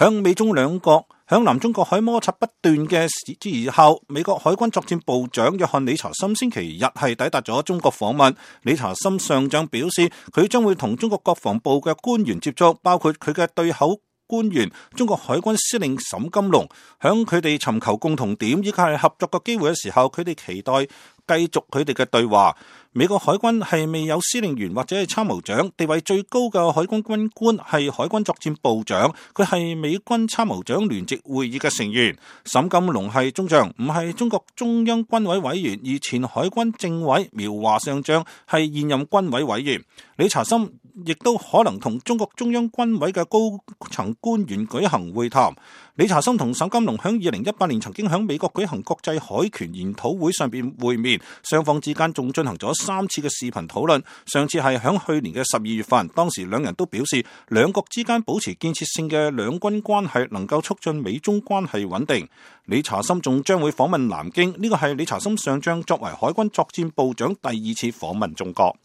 響美中兩國響南中國海摩擦不斷嘅之後，美國海軍作戰部長約翰理查森星期日係抵達咗中國訪問。理查森上將表示，佢將會同中國國防部嘅官員接觸，包括佢嘅對口官員中國海軍司令沈金龍，響佢哋尋求共同點以及係合作嘅機會嘅時候，佢哋期待繼續佢哋嘅對話。美國海軍係未有司令員或者係參謀長，地位最高嘅海軍軍官係海軍作戰部長，佢係美軍參謀長聯席會議嘅成員。沈金龍係中將，唔係中國中央軍委委員，而前海軍政委苗華上將係現任軍委委員。理查森亦都可能同中國中央軍委嘅高層官員舉行會談。理查森同沈金龍喺2018年曾經喺美國舉行國際海權研討會上邊會面，雙方之間仲進行咗3次嘅視頻討論。上次係喺去年嘅12月份，當時兩人都表示兩國之間保持建設性嘅兩軍關係能夠促進美中關係穩定。理查森仲將會訪問南京，呢個係理查森上將作為海軍作戰部長第2次訪問中國。